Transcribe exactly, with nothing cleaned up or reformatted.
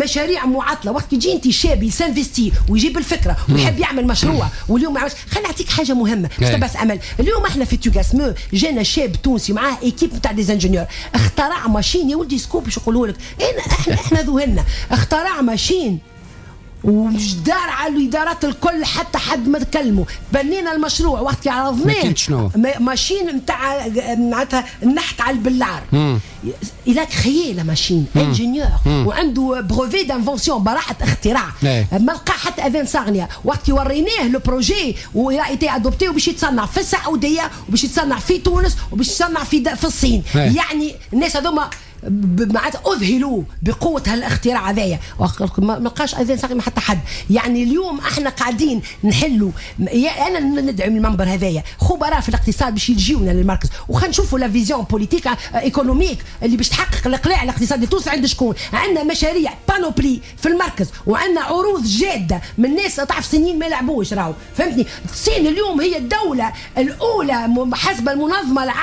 مشاريع معطلة. وقت يجي انت شاب ي s'investit ويجيب الفكرة ويحب يعمل مشروع واليوم ما عملش. خليني نعطيك حاجة مهمة باش تبعث امل. اليوم احنا في توغاسمو جانا شاب تونسي معاه équipe نتاع des ingénieurs، اخترع machine يا ولدي، scoop باش يقولوا لك احنا احنا ذهلنا. اخترع machine ودار على الادارات الكل، حتى حد ما تكلموا. بنينا المشروع وقت عرضناه. شنو؟ machine نتاع معناتها النحت على البلار. il a créé la machine، ingénieur وعنده brevet d'invention، براءة اختراع. ما لقى حتى اذان صاغيه. وقت وريناه le projet و il a été adopté، وباش يتصنع في السعودية وباش يتصنع في تونس وباش يتصنع في في الصين. يعني الناس هذوما معناتها اذهلوا بقوة هالاختراع هذايا، ما لقاش اذان صاغيه حتى حد. يعني اليوم احنا قاعدين نحلوا. انا ندعم المنبر هذايا خبراء في الاقتصاد باش يجيونا للمركز وخلينا نشوفوا la vision politique économique اللي باش تحقق الاقلاع الاقتصادي التونسي عند شكون. عندنا مشاريع panoplie في المركز وعندنا عروض جاده من ناس تعرف سنين ما يلعبوش راهو، فهمتني؟ الصين اليوم هي الدولة الاولى حسب المنظمة العالمية.